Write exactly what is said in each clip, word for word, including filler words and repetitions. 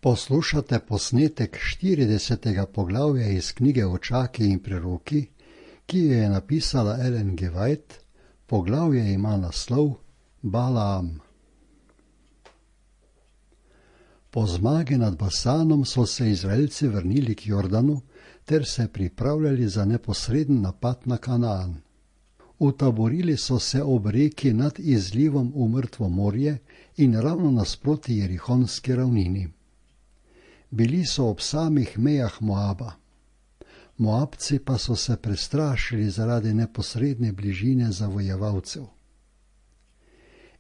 Poslušate posnetek štiridesetega poglavja iz knjige Očaki in preroki, ki jo je napisala Ellen G. White. Poglavje ima naslov Balaam. Po zmagi nad Basanom so se Izraelci vrnili k Jordanu ter se pripravljali za neposreden napad na Kanaan. Utaborili so se ob reki nad izlivom v Mrtvo morje in ravno nasproti Jerihonski ravnini. Bili so ob samih mejah Moaba. Moabci pa so se prestrašili zaradi neposredne bližine zavojevalcev.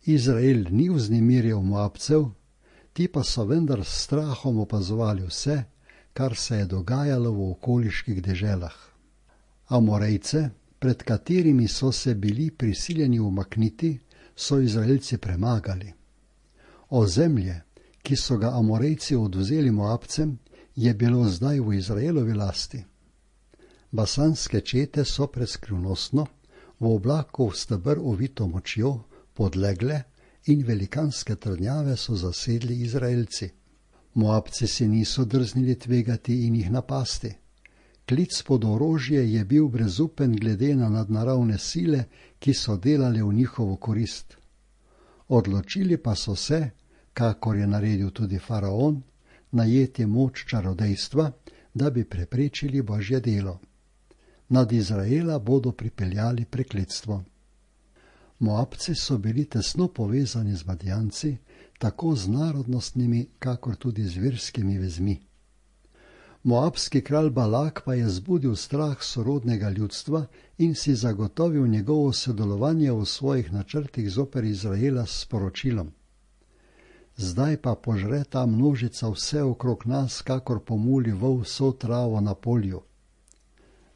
Izrael ni vznemirjal Moabcev, ti pa so vendar s strahom opazovali vse, kar se je dogajalo v okoliških deželah. Amorejce, pred katerimi so se bili prisiljeni umakniti, so Izraelci premagali. Ozemlje, ki so ga Amorejci odvzeli Moabcem, je bilo zdaj v Izraelovi lasti. Basanske čete so preskrivnostno, v oblaku v steber ovito močjo, podlegle in velikanske trdnjave so zasedli Izraelci. Moabci se niso drznili tvegati in jih napasti. Klic pod orožje je bil brezupen glede na nadnaravne sile, ki so delale v njihovo korist. Odločili pa so se, kakor je naredil tudi faraon, najeti moč čarodejstva, da bi preprečili Božje delo. Nad Izraela bodo pripeljali prekletstvo. Moabci so bili tesno povezani z Madijanci, tako z narodnostnimi, kakor tudi z verskimi vezmi. Moabski kralj Balak pa je zbudil strah sorodnega ljudstva in si zagotovil njegovo sodelovanje v svojih načrtih zoper Izraela s sporočilom: zdaj pa požre ta množica vse okrog nas, kakor pomuli vol vso travo na polju.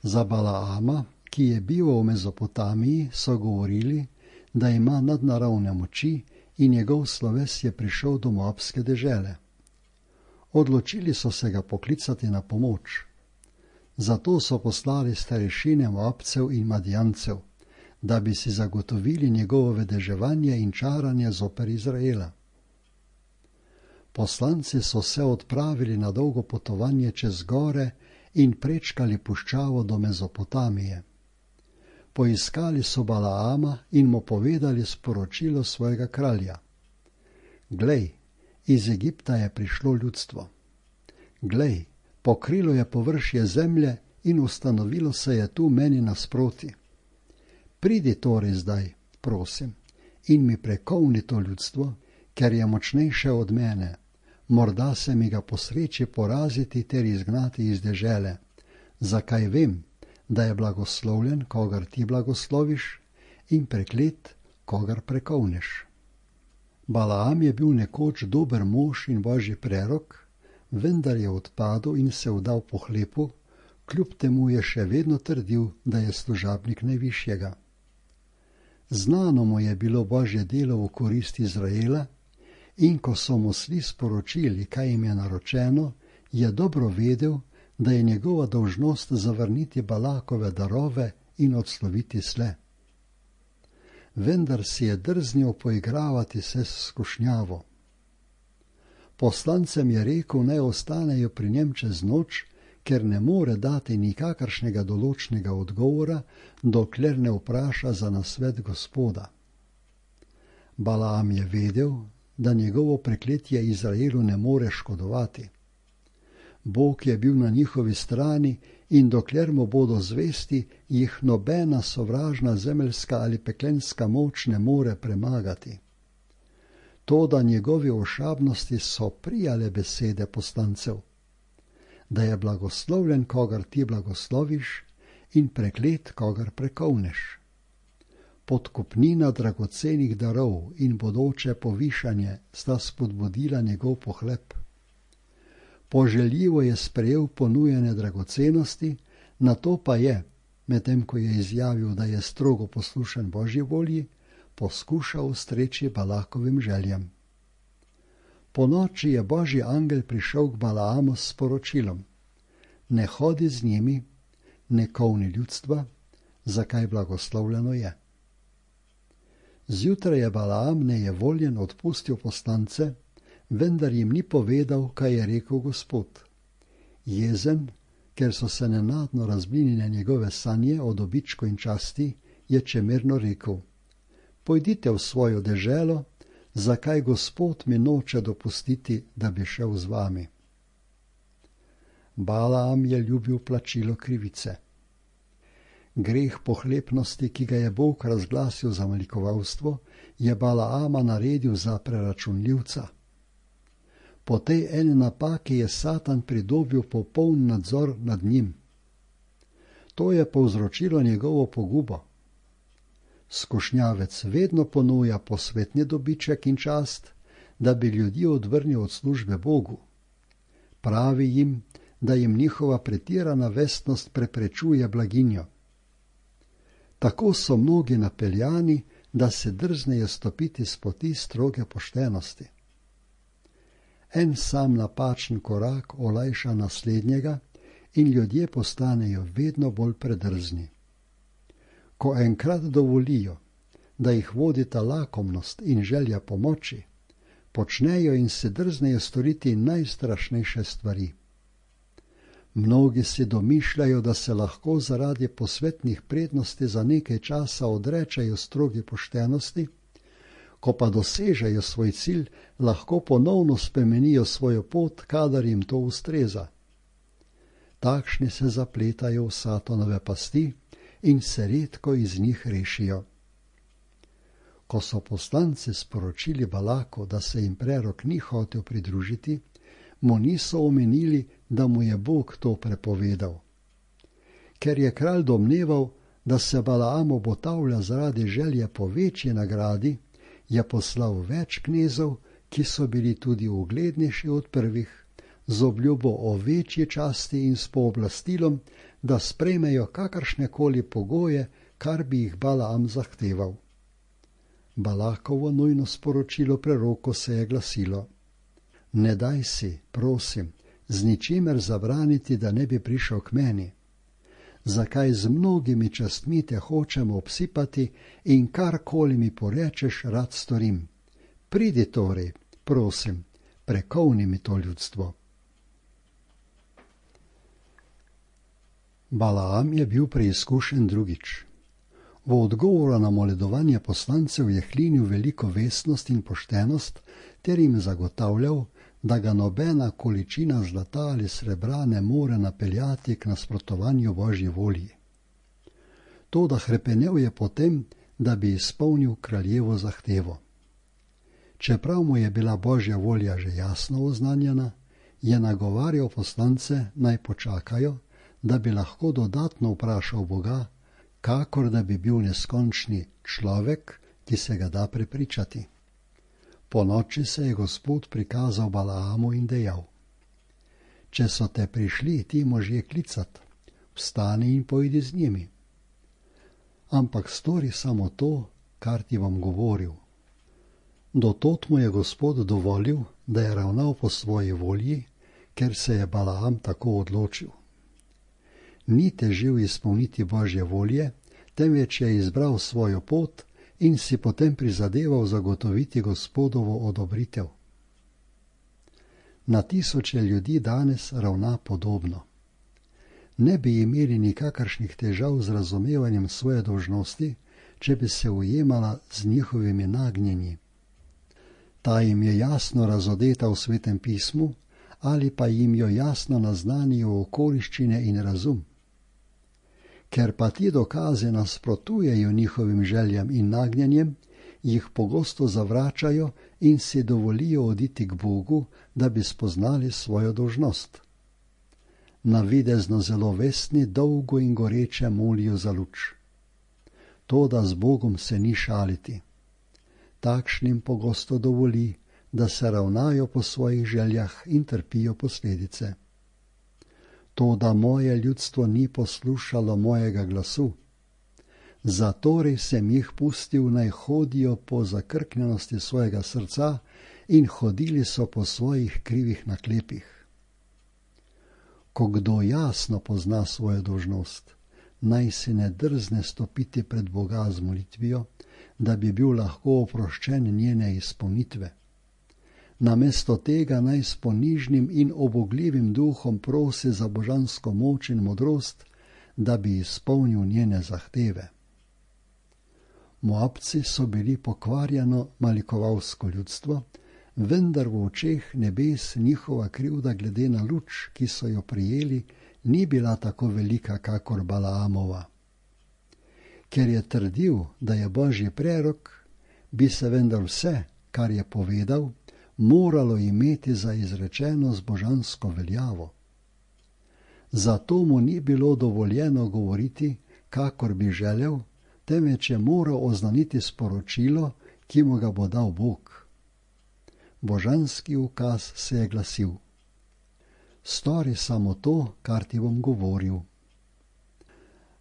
Za Balaama, ki je bil v Mezopotamiji, so govorili, da ima nadnaravne moči in njegov sloves je prišel do moabske dežele. Odločili so se ga poklicati na pomoč. Zato so poslali starešine Moabcev in Madijancev, da bi si zagotovili njegovo vedeževanje in čaranje zoper Izraela. Poslanci so se odpravili na dolgo potovanje čez gore in prečkali puščavo do Mezopotamije. Poiskali so Balaama in mu povedali sporočilo svojega kralja: glej, iz Egipta je prišlo ljudstvo. Glej, pokrilo je površje zemlje in ustanovilo se je tu meni nasproti. Pridi torej zdaj, prosim, in mi prekovni to ljudstvo, ker je močnejše od mene. Morda se mi ga posreči poraziti ter izgnati iz dežele. Zakaj vem, da je blagoslovljen, kogar ti blagosloviš, in preklet, kogar prekovneš. Balaam je bil nekoč dober mož in Božji prerok, vendar je odpadel in se vdal pohlepu, kljub temu je še vedno trdil, da je služabnik najvišjega. Znano mu je bilo Božje delo v korist Izraela, in ko so mu sli sporočili, kaj jim je naročeno, je dobro vedel, da je njegova dolžnost zavrniti Balakove darove in odsloviti sle. Vendar si je drznil poigravati se s skušnjavo. Poslancem je rekel, naj ostanejo pri njem čez noč, ker ne more dati nikakršnega določnega odgovora, dokler ne vpraša za nasvet Gospoda. Balaam je vedel, da njegovo prekletje Izraelu ne more škodovati. Bog je bil na njihovi strani in dokler mu bodo zvesti, jih nobena sovražna zemeljska ali peklenska moč ne more premagati. Toda njegovi ošabnosti so prijale besede poslancev, da je blagoslovljen, kogar ti blagosloviš, in preklet, kogar prekovneš. Podkupnina dragocenih darov in bodoče povišanje sta spodbudila njegov pohlep. Poželjivo je sprejel ponujene dragocenosti, nato pa je, medtem ko je izjavil, da je strogo poslušen Božji volji, poskušal ustreči Balakovim željam. Ponoči je Božji angel prišel k Balaamu s sporočilom: ne hodi z njimi, ne kovni ljudstva, zakaj blagoslovljeno je. Zjutraj je Balaam nejevoljen odpustil poslance, vendar jim ni povedal, kaj je rekel Gospod. Jezen, ker so se nenadno razblinile njegove sanje o dobičku in časti, je čemerno rekel: Pojdite v svojo deželo, zakaj Gospod mi noče dopustiti, da bi šel z vami. Balaam je ljubil plačilo krivice. Greh pohlepnosti, ki ga je Bog razglasil za malikovalstvo, je Balaama naredil za preračunljivca. Po tej eni napaki je Satan pridobil popoln nadzor nad njim. To je povzročilo njegovo pogubo. Skušnjavec vedno ponuja posvetni dobiček in čast, da bi ljudi odvrnil od službe Bogu. Pravi jim, da jim njihova pretirana vestnost preprečuje blaginjo. Tako so mnogi napeljani, da se drznejo stopiti s poti stroge poštenosti. En sam napačen korak olajša naslednjega in ljudje postanejo vedno bolj predrzni. Ko enkrat dovolijo, da jih vodita lakomnost in želja pomoči, počnejo in se drznejo storiti najstrašnejše stvari. Mnogi si domišljajo, da se lahko zaradi posvetnih prednosti za nekaj časa odrečajo strogi poštenosti, ko pa dosežejo svoj cilj, lahko ponovno spremenijo svojo pot, kadar jim to ustreza. Takšni se zapletajo v Satanove pasti in se redko iz njih rešijo. Ko so poslanci sporočili Balaku, da se jim prerok ni hotel pridružiti, mu niso omenili, da mu je Bog to prepovedal. Ker je kralj domneval, da se Balaam obotavlja zaradi želje po večji nagradi, je poslal več knezov, ki so bili tudi uglednejši od prvih, z obljubo o večji časti in s pooblastilom, da sprejmejo kakršnekoli pogoje, kar bi jih Balaam zahteval. Balakovo nujno sporočilo preroku se je glasilo: Ne daj si, prosim, z ničimer zabraniti, da ne bi prišel k meni. Zakaj z mnogimi častmi te hočemo obsipati in karkoli mi porečeš, rad storim. Pridi torej, prosim, prekovni mi to ljudstvo. Balaam je bil preizkušen drugič. V odgovoru na moledovanje poslancev je hlinil veliko vestnost in poštenost ter jim zagotavljal, da ga nobena količina zlata ali srebra ne more napeljati k nasprotovanju Božji volji. To, da hrepenel je potem, da bi izpolnil kraljevo zahtevo. Čeprav mu je bila Božja volja že jasno oznanjena, je nagovarjal poslance, naj počakajo, da bi lahko dodatno vprašal Boga, kakor da bi bil neskončni človek, ki se ga da prepričati. Po noči se je Gospod prikazal Balaamu in dejal: Če so te prišli ti možje klicat, vstani in pojdi z njimi. Ampak stori samo to, kar ti bom govoril. Do tod mu je Gospod dovolil, da je ravnal po svoji volji, ker se je Balaam tako odločil. Ni težil izpolniti Božje volje, temveč je izbral svojo pot in si potem prizadeval zagotoviti Gospodovo odobritev. Na tisoče ljudi danes ravna podobno. Ne bi imeli nikakršnih težav z razumevanjem svoje dolžnosti, če bi se ujemala z njihovimi nagnjenji. Ta jim je jasno razodeta v Svetem pismu ali pa jim jo jasno naznanijo okoliščine in razum. Ker pa ti dokazi nasprotujejo njihovim željam in nagnjenjem, jih pogosto zavračajo in si dovolijo oditi k Bogu, da bi spoznali svojo dolžnost. Navidezno zelo vestni dolgo in goreče molijo za luč. Toda z Bogom se ni šaliti. Takšnim pogosto dovoli, da se ravnajo po svojih željah in trpijo posledice. Toda moje ljudstvo ni poslušalo mojega glasu. Zatorej sem jih pustil, naj hodijo po zakrknjenosti svojega srca in hodili so po svojih krivih naklepih. Ko kdo jasno pozna svojo dolžnost, naj si ne drzne stopiti pred Boga z molitvijo, da bi bil lahko oproščen njene izpolnitve. namesto tega naj s ponižnim in obogljivim duhom prosi za božansko moč in modrost, da bi izpolnil njene zahteve. Moabci so bili pokvarjeno malikovalsko ljudstvo, vendar v očeh nebes njihova krivda glede na luč, ki so jo prijeli, ni bila tako velika kakor Balaamova. Ker je trdil, da je božji prerok, bi se vendar vse, kar je povedal, moralo imeti za izrečeno z božansko veljavo. Zato mu ni bilo dovoljeno govoriti, kakor bi želel, temveč je moral oznaniti sporočilo, ki mu ga bo dal Bog. Božanski ukaz se je glasil: stori samo to, kar ti bom govoril.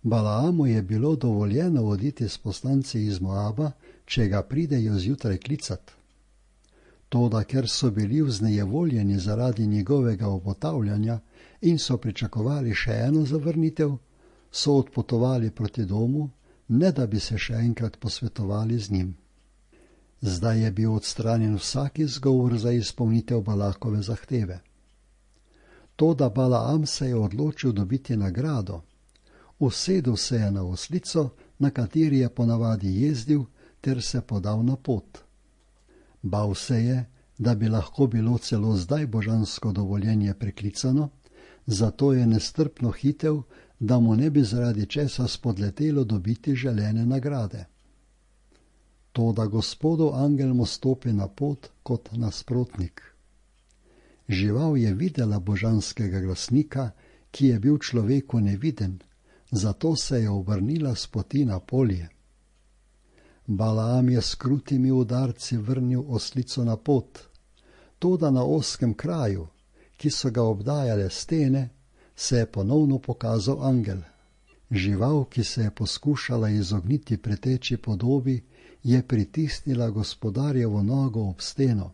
Balaamu je bilo dovoljeno voditi s poslanci iz Moaba, če ga pridejo zjutraj klicat. Toda ker so bili vznejevoljeni zaradi njegovega obotavljanja in so pričakovali še eno zavrnitev, so odpotovali proti domu, ne da bi se še enkrat posvetovali z njim. Zdaj je bil odstranjen vsak izgovor za izpolnitev Balakove zahteve. Toda Balaam se je odločil dobiti nagrado. Usedel se je na oslico, na kateri je ponavadi jezdil, ter se podal na pot. Bal se je, da bi lahko bilo celo zdaj božansko dovoljenje preklicano, zato je nestrpno hitel, da mu ne bi zaradi česa spodletelo dobiti želene nagrade. Toda Gospodov angel mu stopi na pot kot nasprotnik. Žival je videla božanskega glasnika, ki je bil človeku neviden, zato se je obrnila s poti na polje. Balaam je s krutimi udarci vrnil oslico na pot, toda na ozkem kraju, ki so ga obdajale stene, se je ponovno pokazal angel. Žival, ki se je poskušala izogniti preteči podobi, je pritisnila gospodarjevo nogo ob steno.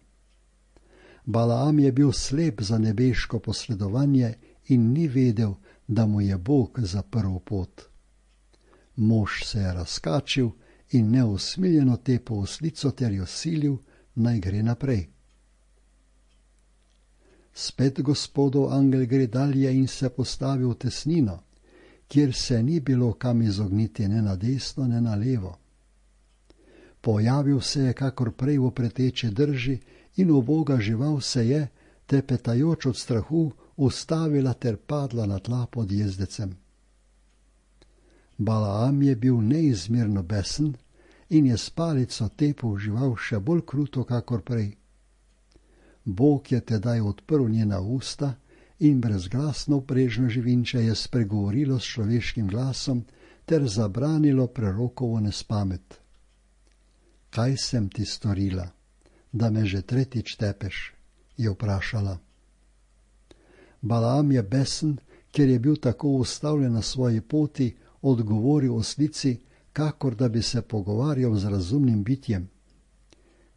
Balaam je bil slep za nebeško posredovanje in ni vedel, da mu je Bog zaprl pot. Mož se je razkačil in neusmiljeno tepel oslico ter jo silil, naj gre naprej. Spet Gospodov angel gre dalje in se postavi v tesnino, kjer se ni bilo kam izogniti ne na desno, ne na levo. Pojavil se je kakor prej v preteče drži in uboga žival se je, trepetajoč od strahu, ustavila ter padla na tla pod jezdecem. Balaam je bil neizmerno besen in je s palico tepel žival še bolj kruto kakor prej. Bog je tedaj odprl njena usta in brezglasno vprežno živinče je spregovorilo s človeškim glasom ter zabranilo prerokovo nespamet. Kaj sem ti storila, da me že tretjič tepeš, je vprašala. Balaam je besen, ker je bil tako ustavljen na svoji poti, odgovoril oslici, kakor da bi se pogovarjal z razumnim bitjem.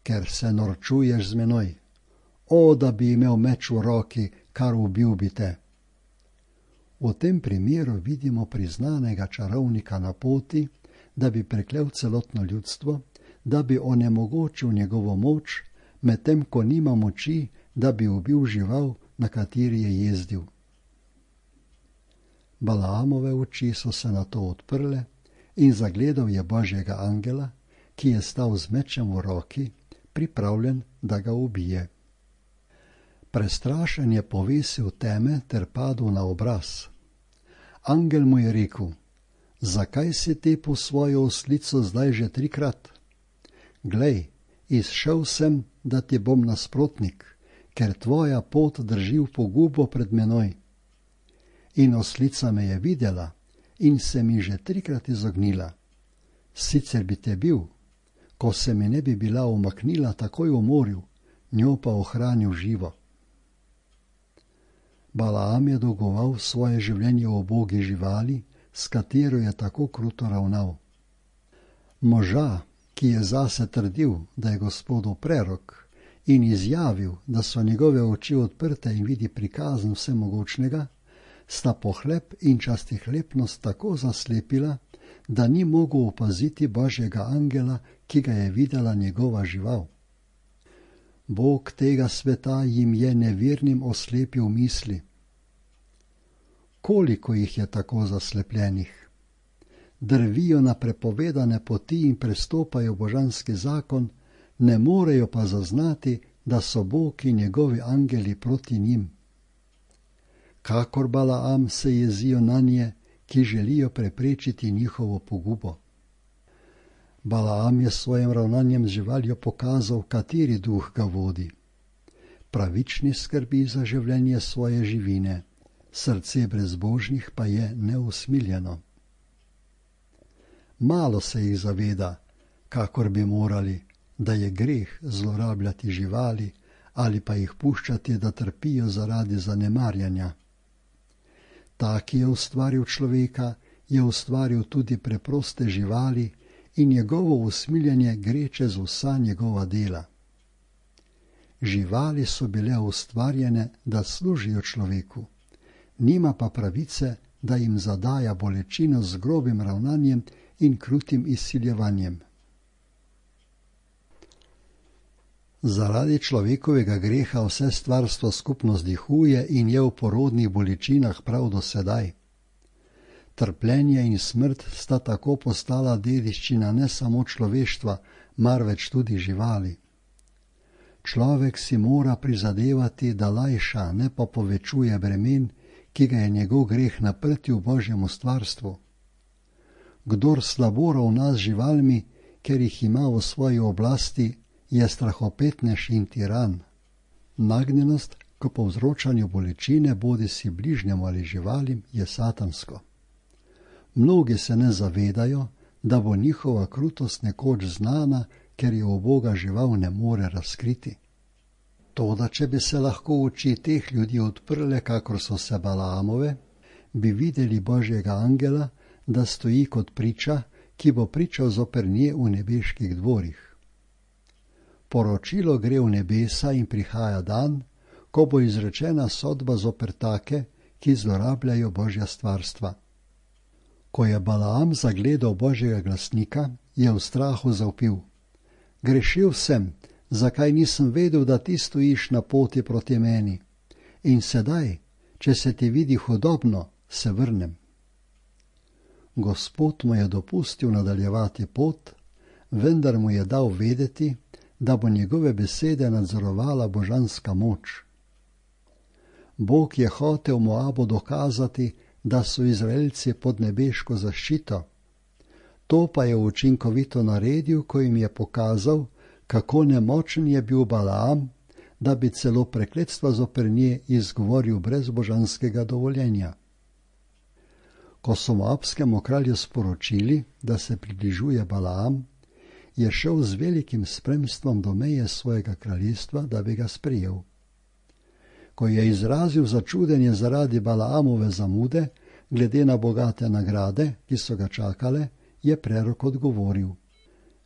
Ker se norčuješ z menoj, o, da bi imel meč v roki, kar ubil bi te. V tem primeru vidimo priznanega čarovnika na poti, da bi preklel celotno ljudstvo, da bi onemogočil njegovo moč, medtem ko nima moči, da bi ubil žival, na kateri je jezdil. Balaamove oči so se nato odprle in zagledal je božjega angela, ki je stal z mečem v roki, pripravljen, da ga ubije. Prestrašen je povesil teme ter padel na obraz. Angel mu je rekel: zakaj si tepel svojo oslico zdaj že trikrat? Glej, izšel sem, da ti bom nasprotnik, ker tvoja pot drži v pogubo pred menoj. In oslica me je videla in se mi že trikrat izognila. Sicer bi te bil, ko se mi ne bi bila umaknila, takoj umoril, njo pa ohranil živo. Balaam je dolgoval svoje življenje v ubogi živali, s katero je tako kruto ravnal. Moža, ki je zase trdil, da je Gospodov prerok, in izjavil, da so njegove oči odprte in vidi prikazen vsemogočnega, sta pohlep in častihlepnost tako zaslepila, da ni mogel opaziti božjega angela, ki ga je videla njegova žival. Bog tega sveta jim je nevernim oslepil misli. Koliko jih je tako zaslepljenih? Drvijo na prepovedane poti in prestopajo božanski zakon, ne morejo pa zaznati, da so Bog in njegovi angeli proti njim. Kakor Balaam se jezijo nanje, ki želijo preprečiti njihovo pogubo. Balaam je s svojim ravnanjem z živaljo pokazal, kateri duh ga vodi. Pravični skrbi za življenje svoje živine, srce brezbožnih pa je neusmiljeno. Malo se jih zaveda, kakor bi morali, da je greh zlorabljati živali ali pa jih puščati, da trpijo zaradi zanemarjanja. Ta, ki je ustvaril človeka, je ustvaril tudi preproste živali in njegovo usmiljenje gre čez vsa njegova dela. Živali so bile ustvarjene, da služijo človeku, nima pa pravice, da jim zadaja bolečino z grobim ravnanjem in krutim izsiljevanjem. Zaradi človekovega greha vse stvarstvo skupno zdihuje in je v porodnih bolečinah prav do sedaj. Trpljenje in smrt sta tako postala dediščina ne samo človeštva, marveč tudi živali. Človek si mora prizadevati, da lajša, ne pa povečuje bremen, ki ga je njegov greh naprtil Božjemu stvarstvu. Kdor slabo ravna z živalmi, ker jih ima v svoji oblasti, je strahopetnež in tiran. Nagnjenost k povzročanju bolečine bodisi bližnjemu ali živalim je satansko. Mnogi se ne zavedajo, da bo njihova krutost nekoč znana, ker je v Boga žival ne more razkriti. Toda, če bi se lahko oči teh ljudi odprle, kakor so se Balaamove, bi videli Božjega angela, da stoji kot priča, ki bo pričal zoper nje v nebeških dvorih. Poročilo gre v nebesa in prihaja dan, ko bo izrečena sodba zoper take, ki zlorabljajo Božja stvarstva. Ko je Balaam zagledal Božjega glasnika, je v strahu zavpil: Grešil sem, zakaj nisem vedel, da ti stojiš na poti proti meni? In sedaj, če se ti vidi hudobno, se vrnem. Gospod mu je dopustil nadaljevati pot, vendar mu je dal vedeti, da bo njegove besede nadzorovala božanska moč. Bog je hotel Moabu dokazati, da so Izraelci pod nebeško zaščito. To pa je učinkovito naredil, ko jim je pokazal, kako nemočen je bil Balaam, da bi celo prekletstva zoper nje izgovoril brez božanskega dovoljenja. Ko so Moabskemu kralju sporočili, da se približuje Balaam, je šel z velikim spremstvom do meje svojega kraljestva, da bi ga sprejel. Ko je izrazil začudenje zaradi Balaamove zamude, glede na bogate nagrade, ki so ga čakale, je prerok odgovoril: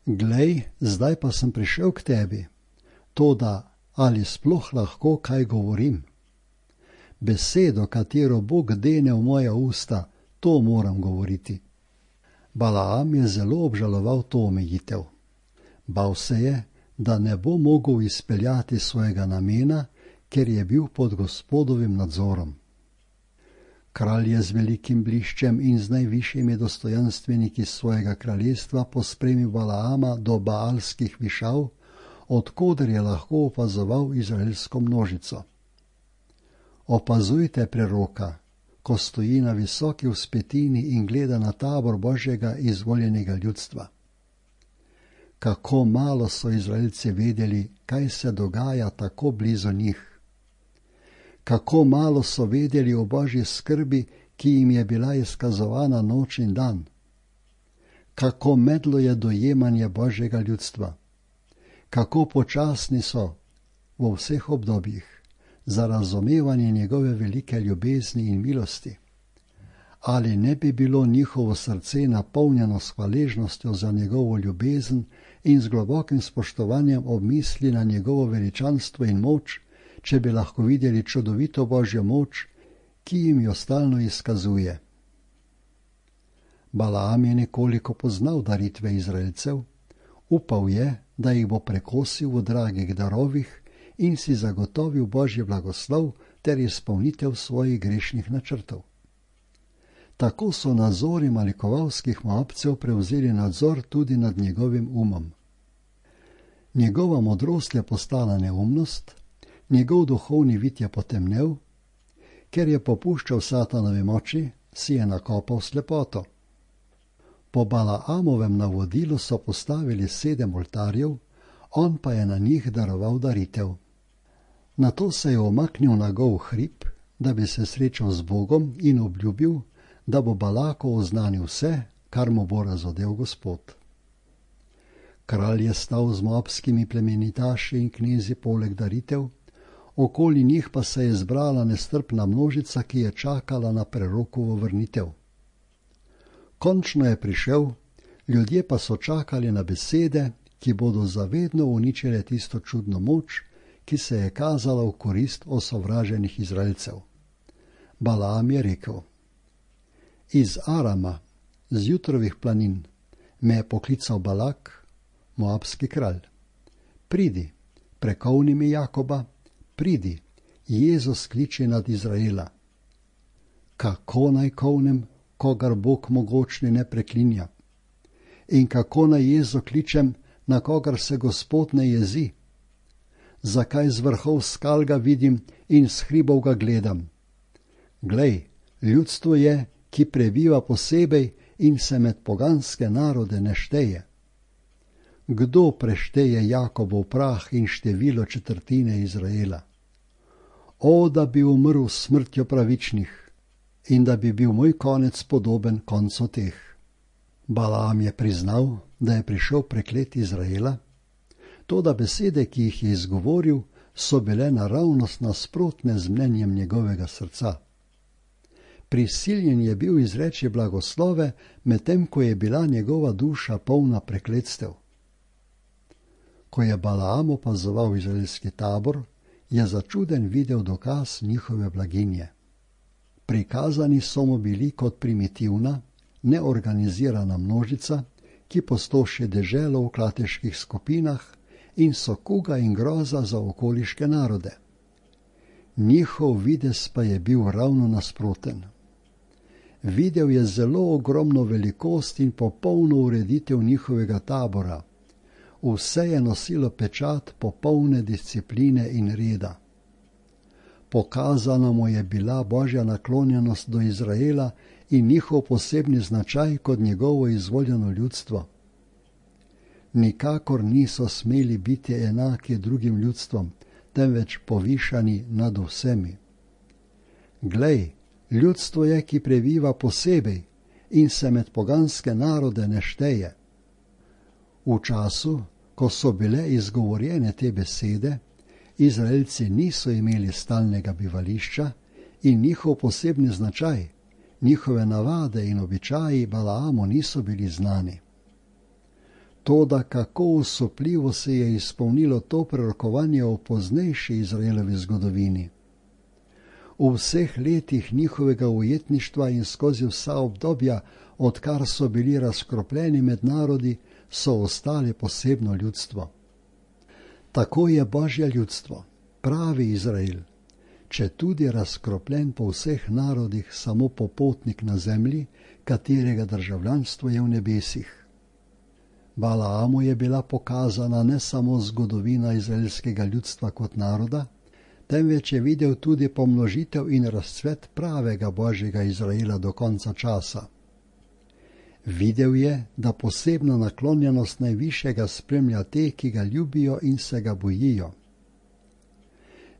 Glej, zdaj pa sem prišel k tebi, toda ali sploh lahko kaj govorim? Besedo, katero Bog dene v moja usta, to moram govoriti. Balaam je zelo obžaloval to omejitev. Bal se je, da ne bo mogel izpeljati svojega namena, ker je bil pod Gospodovim nadzorom. Kralj je z velikim bliščem in z najvišjimi dostojanstveniki svojega kraljestva pospremil Balaama do baalskih višav, odkoder je lahko opazoval izraelsko množico. Opazujte preroka, ko stoji na visoki vzpetini in gleda na tabor Božjega izvoljenega ljudstva. Kako malo so Izraelci vedeli, kaj se dogaja tako blizu njih. Kako malo so vedeli o Božji skrbi, ki jim je bila izkazovana noč in dan. Kako medlo je dojemanje Božjega ljudstva. Kako počasni so v vseh obdobjih za razumevanje njegove velike ljubezni in milosti. Ali ne bi bilo njihovo srce napolnjeno s hvaležnostjo za njegovo ljubezen in z globokim spoštovanjem ob misli na njegovo veličanstvo in moč, če bi lahko videli čudovito Božjo moč, ki jim jo stalno izkazuje. Balaam je nekoliko poznal daritve Izraelcev, upal je, da jih bo prekosil v dragih darovih, in si zagotovil Božji blagoslov ter izpolnitev svojih grešnih načrtov. Tako so nazori malikovalskih Moabcev prevzeli nadzor tudi nad njegovim umom. Njegova modrost je postala neumnost, njegov duhovni vid je potemnel, ker je popuščal satanovi moči, si je nakopal slepoto. Po Balaamovem navodilu so postavili sedem oltarjev, on pa je na njih daroval daritev. Nato se je omaknil na gol hrib, da bi se srečal z Bogom in obljubil, da bo Balaku oznanil vse, kar mu bo razodel Gospod. Kralj je stal z moabskimi plemenitaši in knezi poleg daritev, okoli njih pa se je zbrala nestrpna množica, ki je čakala na prerokovo vrnitev. Končno je prišel, ljudje pa so čakali na besede, ki bodo zavedno uničile tisto čudno moč, ki se je kazala v korist osovraženih Izraelcev. Balaam je rekel: Iz Arama, z jutrovih planin, me je poklical Balak, moabski kralj. Pridi, prekovni mi Jakoba, pridi, Jezus kliče nad Izraela. Kako naj kovnem, kogar Bog mogočni ne preklinja? In kako naj Jezu kličem, na kogar se Gospod ne jezi? Zakaj z vrhov skal ga vidim in s hribov ga gledam? Glej, ljudstvo je, ki prebiva posebej in se med poganske narode ne šteje. Kdo prešteje Jakobov prah in število četrtine Izraela? O, da bi umrl smrtjo pravičnih in da bi bil moj konec podoben koncu teh. Balaam je priznal, da je prišel preklet Izraela, toda besede, ki jih je izgovoril, so bile naravnost nasprotne z mnenjem njegovega srca. Prisiljen je bil izreči blagoslove, medtem ko je bila njegova duša polna prekletstev. Ko je Balaam opazoval izraelski tabor, je začuden videl dokaz njihove blaginje. Prikazani so mu bili kot primitivna, neorganizirana množica, ki postoši deželo v klateških skupinah in so kuga in groza za okoliške narode. Njihov videz pa je bil ravno nasproten. Videl je zelo ogromno velikost in popolno ureditev njihovega tabora. Vse je nosilo pečat popolne discipline in reda. Pokazana mu je bila Božja naklonjenost do Izraela in njihov posebni značaj kot njegovo izvoljeno ljudstvo. Nikakor niso smeli biti enaki drugim ljudstvom, temveč povišani nad vsemi. Glej, ljudstvo je, ki prebiva posebej in se med poganske narode ne šteje. V času, ko so bile izgovorjene te besede, Izraelci niso imeli stalnega bivališča in njihov posebni značaj, njihove navade in običaji Balaamu niso bili znani. Toda kako usupljivo se je izpolnilo to prerokovanje o poznejši Izraelovi zgodovini. V vseh letih njihovega ujetništva in skozi vsa obdobja, odkar so bili razkropljeni med narodi, so ostali posebno ljudstvo. Tako je Božje ljudstvo, pravi Izrael, če tudi razkropljen po vseh narodih samo popotnik na zemlji, katerega državljanstvo je v nebesih. Balaamu je bila pokazana ne samo zgodovina izraelskega ljudstva kot naroda, temveč je videl tudi pomnožitev in razcvet pravega Božjega Izraela do konca časa. Videl je, da posebna naklonjenost najvišjega spremlja te, ki ga ljubijo in se ga bojijo.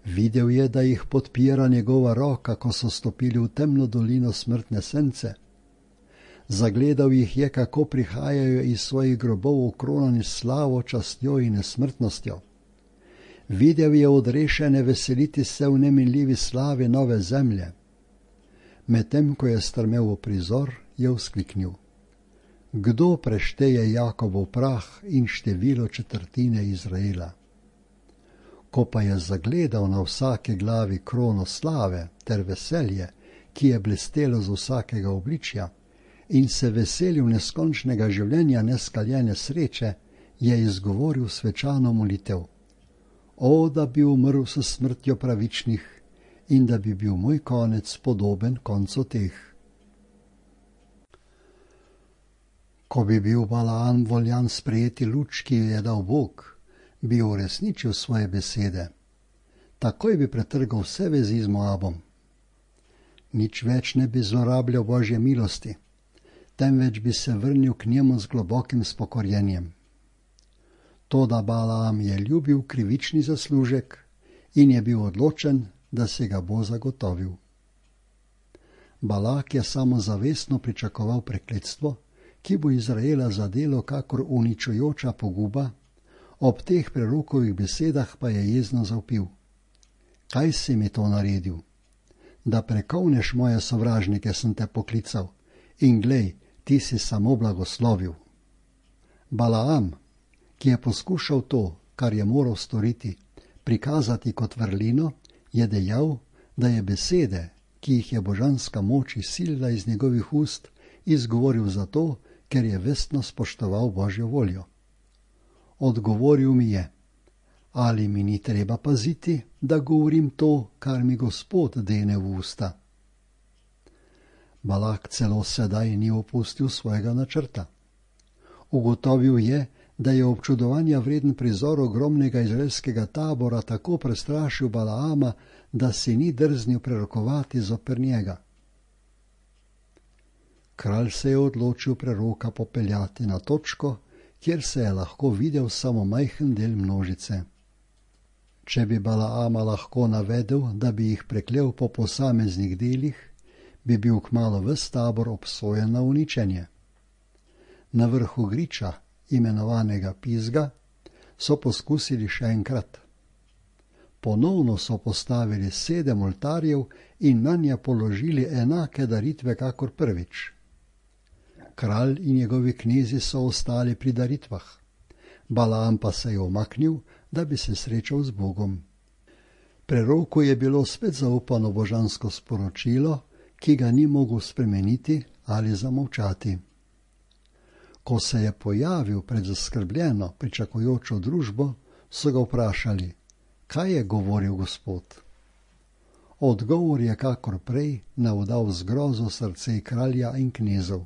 Videl je, da jih podpira njegova roka, ko so stopili v temno dolino smrtne sence. Zagledal jih je, kako prihajajo iz svojih grobov okronani slavo, častjo in nesmrtnostjo. Videl je odrešene veseliti se v neminljivi slavi nove zemlje. Medtem, ko je strmel v prizor, je vzkliknil: Kdo prešteje Jakobov prah in število četrtine Izraela? Ko pa je zagledal na vsake glavi krono slave ter veselje, ki je blestelo z vsakega obličja, in se veselil neskončnega življenja neskaljene sreče, je izgovoril svečano molitev: O, da bi umrl s smrtjo pravičnih in da bi bil moj konec podoben koncu teh. Ko bi bil Balaam voljan sprejeti luč, ki jo je dal Bog, bi uresničil svoje besede. Takoj bi pretrgal vse vezi z Moabom. Nič več ne bi zlorabljal Božje milosti, temveč bi se vrnil k njemu z globokim spokorjenjem. Toda Balaam je ljubil krivični zaslužek in je bil odločen, da se ga bo zagotovil. Balak je samozavestno pričakoval prekletstvo, ki bo Izraela zadelo kakor uničujoča poguba, ob teh prerokovih besedah pa je jezno zavpil. Kaj si mi to naredil? Da prekovneš moje sovražnike sem te poklical in glej, ti si samo blagoslovil. Balaam, ki je poskušal to, kar je moral storiti, prikazati kot vrlino, je dejal, da je besede, ki jih je božanska moč izsilila iz njegovih ust, izgovoril zato, ker je vestno spoštoval Božjo voljo. Odgovoril mi je, ali mi ni treba paziti, da govorim to, kar mi Gospod dene v usta. Balak celo sedaj ni opustil svojega načrta. Ugotovil je, da je občudovanja vreden prizor ogromnega izraelskega tabora tako prestrašil Balaama, da si ni drznil prerokovati zoper njega. Kralj se je odločil preroka popeljati na točko, kjer se je lahko videl samo majhen del množice. Če bi Balaama lahko navedel, da bi jih preklel po posameznih delih, bi bil kmalu ves tabor obsojen na uničenje. Na vrhu griča, imenovanega Pizga, so poskusili še enkrat. Ponovno so postavili sedem oltarjev in nanje položili enake daritve kakor prvič. Kralj in njegovi knezi so ostali pri daritvah. Balaam pa se je umaknil, da bi se srečal z Bogom. Preroku je bilo spet zaupano božansko sporočilo, ki ga ni mogel spremeniti ali zamolčati. Ko se je pojavil pred zaskrbljeno, pričakujočo družbo, so ga vprašali, kaj je govoril Gospod. Odgovor je kakor prej navdal zgrozo srce kralja in knezov.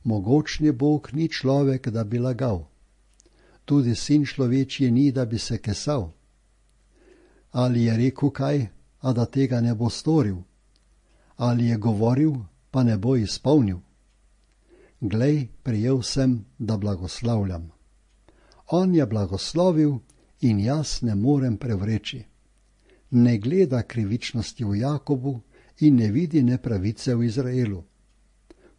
Mogočni Bog ni človek, da bi lagal. Tudi sin človečji ni, da bi se kesal. Ali je rekel kaj, a da tega ne bo storil? Ali je govoril, pa ne bo izpolnil? Glej, prijel sem, da blagoslavljam. On je blagoslovil in jaz ne morem prevreči. Ne gleda krivičnosti v Jakobu in ne vidi nepravice v Izraelu.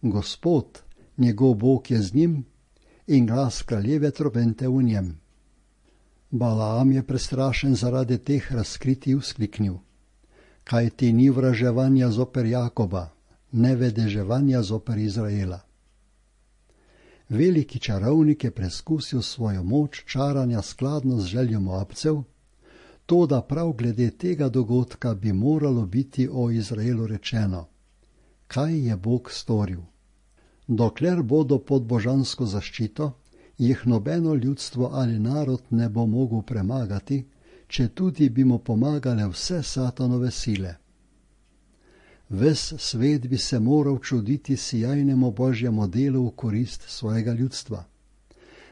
Gospod, njegov Bog je z njim in glas kraljeve trobente v njem. Balaam je prestrašen zaradi teh razkritij vzkliknil. Kaj ti ni vraževanja zoper Jakoba, ne vedeževanja zoper Izraela. Veliki čarovnik je preskusil svojo moč čaranja skladno z željo Moabcev, toda prav glede tega dogodka bi moralo biti o Izraelu rečeno. Kaj je Bog storil? Dokler bodo pod božansko zaščito, jih nobeno ljudstvo ali narod ne bo mogel premagati, če tudi bi mu pomagale vse satanove sile. Ves svet bi se moral čuditi sijajnemu Božjemu delu v korist svojega ljudstva.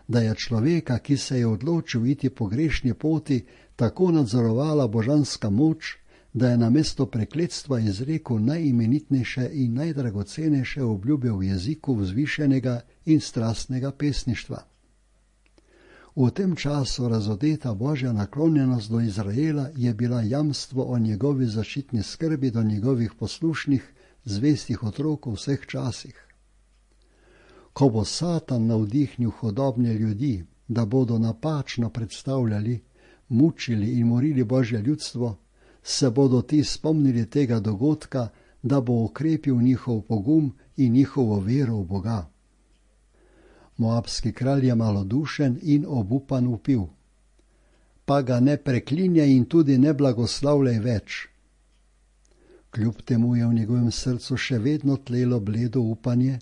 Da je človeka, ki se je odločil iti po grešni poti, tako nadzorovala božanska moč, da je namesto prekletstva izrekel najimenitnejše in najdragocenejše obljube v jeziku vzvišenega in strastnega pesništva. V tem času razodeta Božja naklonjenost do Izraela je bila jamstvo o njegovi zaščitni skrbi do njegovih poslušnih, zvestih otrok v vseh časih. Ko bo Satan navdihnil hudobne ljudi, da bodo napačno predstavljali, mučili in morili Božje ljudstvo, se bodo ti spomnili tega dogodka, da bo okrepil njihov pogum in njihovo vero v Boga. Moabski kralj je malodušen in obupan vpil. Pa ga ne preklinjaj in tudi ne blagoslavljaj več. Kljub temu je v njegovem srcu še vedno tlelo bledo upanje,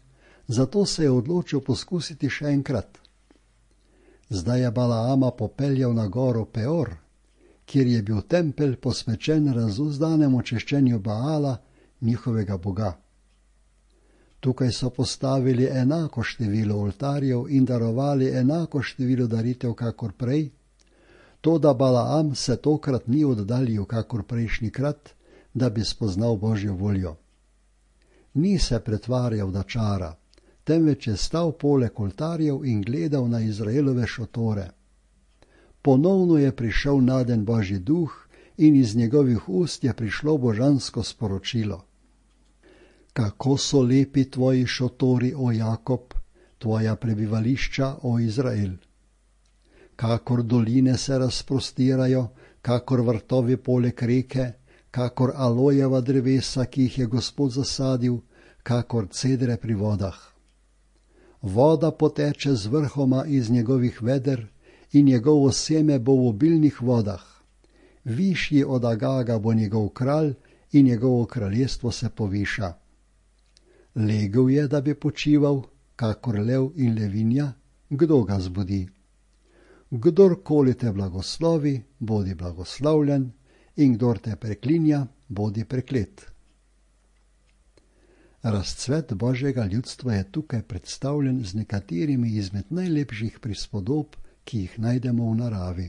zato se je odločil poskusiti še enkrat. Zdaj je Balaama popeljal na goro Peor, kjer je bil tempelj posvečen razuzdanemu češčenju Baala, njihovega boga. Tukaj so postavili enako število oltarjev in darovali enako število daritev kakor prej, toda Balaam se tokrat ni oddaljil kakor prejšnjikrat, da bi spoznal Božjo voljo. Ni se pretvarjal, da čara, temveč je stal poleg oltarjev in gledal na Izraelove šotore. Ponovno je prišel naden Božji duh in iz njegovih ust je prišlo božansko sporočilo. Kako so lepi tvoji šotori, o Jakob, tvoja prebivališča, o Izrael. Kakor doline se razprostirajo, kakor vrtovi poleg reke, kakor alojeva drevesa, ki jih je Gospod zasadil, kakor cedre pri vodah. Voda poteče z vrhoma iz njegovih veder in njegovo seme bo v obilnih vodah. Višji od Agaga bo njegov kralj in njegovo kraljestvo se poviša. Legel je, da bi počival, kakor lev in levinja, kdo ga zbudi? Kdorkoli te blagoslovi, bodi blagoslovljen, in kdor te preklinja, bodi preklet. Razcvet Božjega ljudstva je tukaj predstavljen z nekaterimi izmed najlepših prispodob, ki jih najdemo v naravi.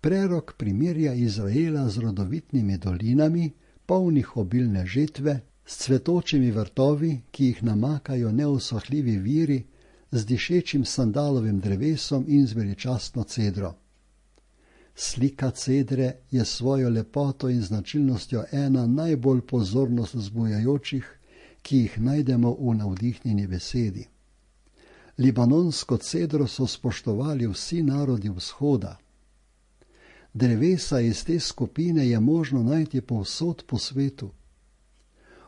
Prerok primerja Izraela z rodovitnimi dolinami, polnih obilne žetve, s cvetočimi vrtovi, ki jih namakajo neusohljivi viri, z dišečim sandalovim drevesom in z veličastno cedro. Slika cedre je svojo lepoto in značilnostjo ena najbolj pozornost vzbujajočih, ki jih najdemo v navdihnjeni besedi. Libanonsko cedro so spoštovali vsi narodi vzhoda. Drevesa iz te skupine je možno najti povsod po svetu.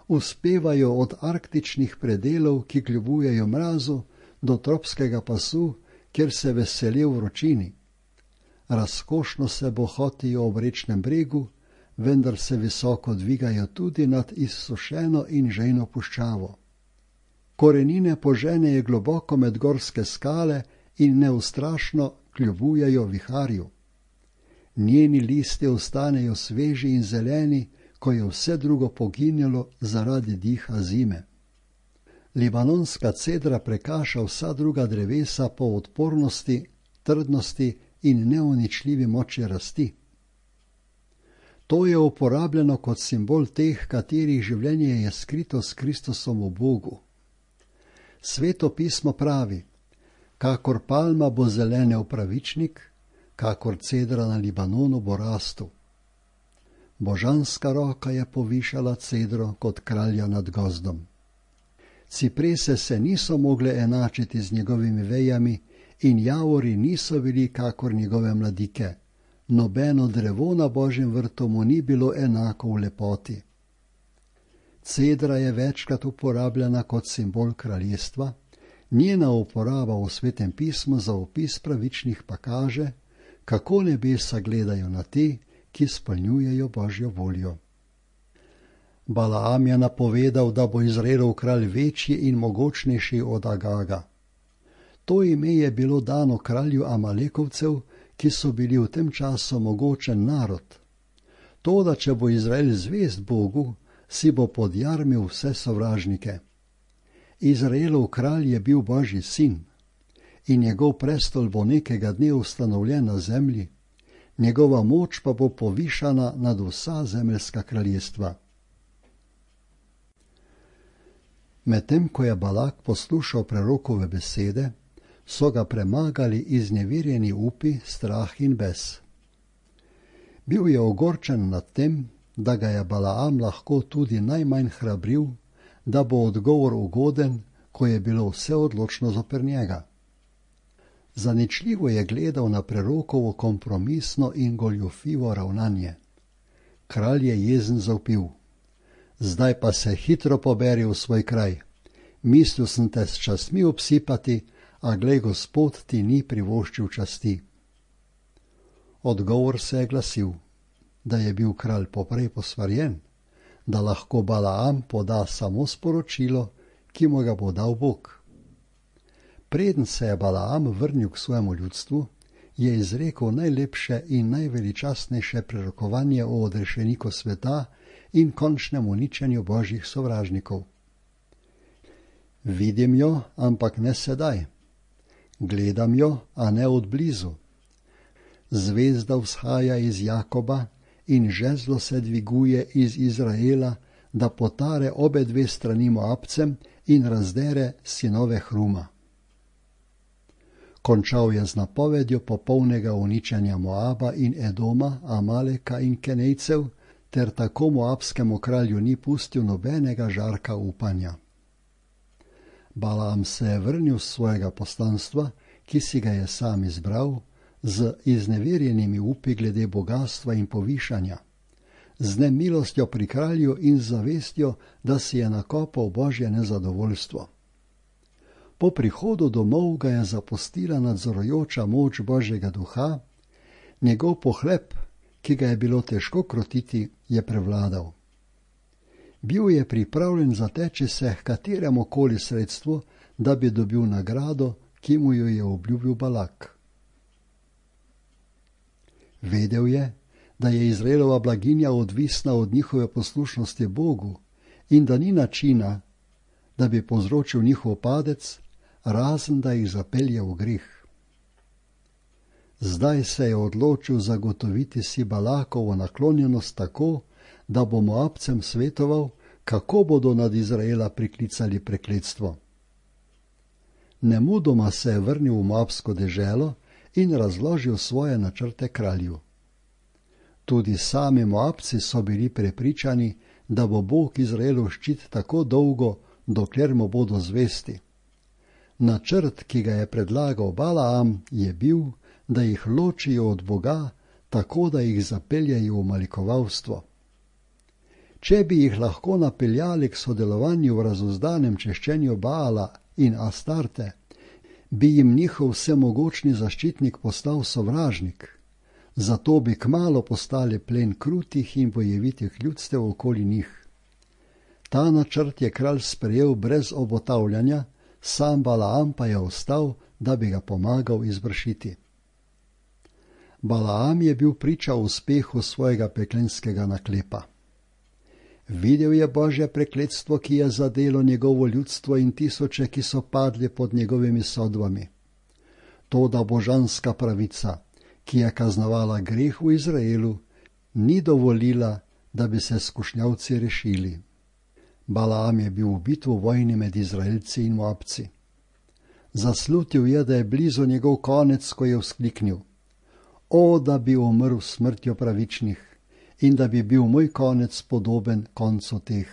Uspevajo od arktičnih predelov, ki kljubujejo mrazu, do tropskega pasu, kjer se veselijo vročini. Razkošno se bohotijo ob rečnem bregu, vendar se visoko dvigajo tudi nad izsušeno in žejno puščavo. Korenine poženejo globoko med gorske skale in neustrašno kljubujejo viharju. Njeni listi ostanejo sveži in zeleni, ko je vse drugo poginjalo zaradi diha zime. Libanonska cedra prekaša vsa druga drevesa po odpornosti, trdnosti in neuničljivi moči rasti. To je uporabljeno kot simbol teh, katerih življenje je skrito s Kristusom v Bogu. Sveto pismo pravi, kakor palma bo zelenel pravičnik, kakor cedra na Libanonu bo rastu. Božanska roka je povišala cedro kot kralja nad gozdom. Ciprese se niso mogle enačiti z njegovimi vejami in javori niso bili kakor njegove mladike. Nobeno drevo na Božjem vrtu mu ni bilo enako v lepoti. Cedra je večkrat uporabljena kot simbol kraljestva, njena uporaba v Svetem pismu za opis pravičnih pa kaže, kako nebesa gledajo na te, ki spolnjujejo Božjo voljo. Balaam je napovedal, da bo Izraelov kralj večji in mogočnejši od Agaga. To ime je bilo dano kralju Amalekovcev, ki so bili v tem času mogočen narod. Toda, če bo Izrael zvest Bogu, si bo podjarmil vse sovražnike. Izraelov kralj je bil Božji sin in njegov prestol bo nekega dne ustanovljen na zemlji, njegova moč pa bo povišana nad vsa zemeljska kraljestva. Medtem ko je Balak poslušal prerokove besede, so ga premagali izneverjeni upi, strah in bes. Bil je ogorčen nad tem, da ga je Balaam lahko tudi najmanj hrabril, da bo odgovor ugoden, ko je bilo vse odločno zoper njega. Zaničljivo je gledal na prerokovo kompromisno in goljufivo ravnanje. Kralj je jezen zavpil: zdaj pa se hitro poberi v svoj kraj. Mislil sem te s častmi obsipati, a glej, Gospod ti ni privoščil časti. Odgovor se je glasil, da je bil kralj poprej posvarjen, da lahko Balaam poda samo sporočilo, ki mu ga bo dal Bog. preden se je Balaam vrnil k svojemu ljudstvu, je izrekel najlepše in najveličastnejše prerokovanje o odrešeniku sveta in končnem uničenju božjih sovražnikov. Vidim jo, ampak ne sedaj. Gledam jo, a ne od blizu. Zvezda vzhaja iz Jakoba in žezlo se dviguje iz Izraela, da potare obe dve strani Moabcem in razdere sinove Hruma. Končal je z napovedjo popolnega uničenja Moaba in Edoma, Amaleka in Kenejcev, ter tako moabskemu kralju ni pustil nobenega žarka upanja. Balaam se je vrnil z svojega poslanstva, ki si ga je sam izbral, z izneverjenimi upi glede bogatstva in povišanja, z nemilostjo pri kralju in z zavestjo, da si je nakopal božje nezadovoljstvo. Po prihodu domov ga je zapustila nadzorujoča moč božjega duha, njegov pohlep, ki ga je bilo težko krotiti, je prevladal. Bil je pripravljen zateči se h kateremu koli sredstvu, da bi dobil nagrado, ki mu jo je obljubil Balak. Vedel je, da je Izraelova blaginja odvisna od njihove poslušnosti Bogu in da ni načina, da bi povzročil njihov padec, razen da jih zapelje v greh. Zdaj se je odločil zagotoviti si Balakovo naklonjenost tako, da bo Moabcem svetoval, kako bodo nad Izraela priklicali prekletstvo. Nemudoma se je vrnil v Moabsko deželo in razložil svoje načrte kralju. Tudi sami Moabci so bili prepričani, da bo Bog Izraelu ščit tako dolgo, dokler mu bodo zvesti. Načrt, ki ga je predlagal Balaam, je bil, da jih ločijo od Boga, tako da jih zapeljejo v malikovalstvo. Če bi jih lahko napeljali k sodelovanju v razuzdanem češčenju Baala in Astarte, bi jim njihov vsemogočni zaščitnik postal sovražnik, zato bi kmalu postali plen krutih in bojevitih ljudstev okoli njih. Ta načrt je kralj sprejel brez obotavljanja, sam Balaam pa je ostal, da bi ga pomagal izvršiti. Balaam je bil priča uspehu svojega peklenskega naklepa. Videl je božje prekletstvo, ki je zadelo njegovo ljudstvo in tisoče, ki so padli pod njegovimi sodbami. Toda božanska pravica, ki je kaznovala greh v Izraelu, ni dovolila, da bi se skušnjavci rešili. Balaam je bil ubit v vojni med Izraelci in Moabci. Zaslutil je, da je blizu njegov konec, ko je vzkliknil: O, da bi umrl smrtjo pravičnih in da bi bil moj konec podoben koncu teh.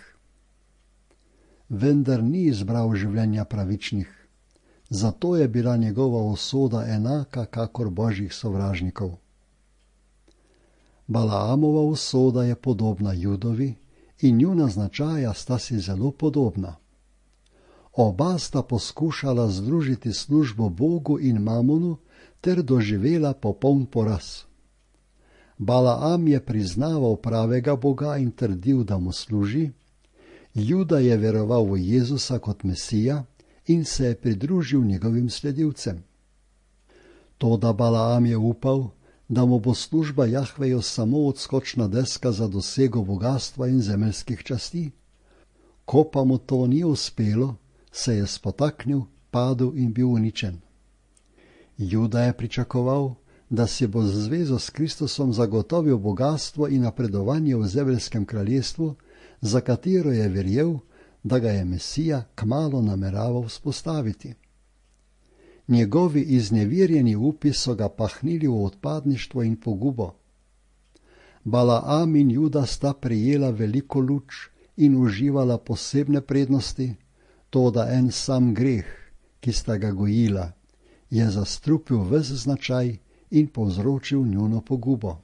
Vendar ni izbral življenja pravičnih, zato je bila njegova usoda enaka kakor božjih sovražnikov. Balaamova usoda je podobna Judovi in njuna značaja sta si zelo podobna. Oba sta poskušala združiti službo Bogu in Mamonu ter doživela popoln poraz. Balaam je priznaval pravega Boga in trdil, da mu služi, Juda je veroval v Jezusa kot Mesija in se je pridružil njegovim sledilcem. Toda Balaam je upal, da mu bo služba Jahveju samo odskočna deska za dosego bogastva in zemeljskih časti. Ko pa mu to ni uspelo, se je spotaknil, padel in bil uničen. Juda je pričakoval, da si bo z zvezo s Kristusom zagotovil bogatstvo in napredovanje v zemeljskem kraljestvu, za katero je verjel, da ga je Mesija kmalu nameraval vzpostaviti. Njegovi iznevirjeni upi so ga pahnili v odpadništvo in pogubo. Balaam in Juda sta prejela veliko luč in uživala posebne prednosti, toda en sam greh, ki sta ga gojila, je zastrupil ves značaj in povzročil njuno pogubo.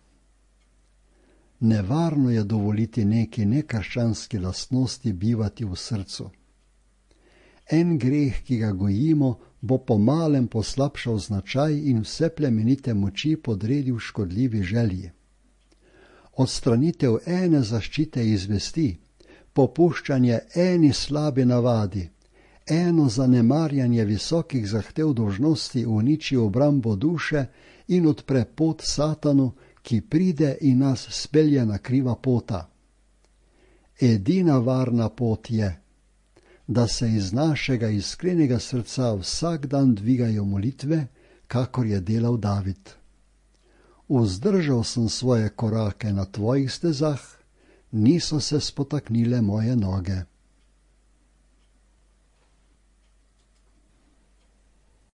Nevarno je dovoliti neki nekrščanski lastnosti bivati v srcu. En greh, ki ga gojimo, bo pomalem poslabšal značaj in vse plemenite moči podredil škodljivi želji. Odstranitev ene zaščite iz vesti, popuščanje eni slabi navadi, eno zanemarjanje visokih zahtev dolžnosti uniči obrambo duše in odpre pot Satanu, ki pride in nas spelje na kriva pota. Edina varna pot je, da se iz našega iskrenega srca vsak dan dvigajo molitve, kakor je delal David. Vzdržal sem svoje korake na tvojih stezah, niso se spotaknile moje noge.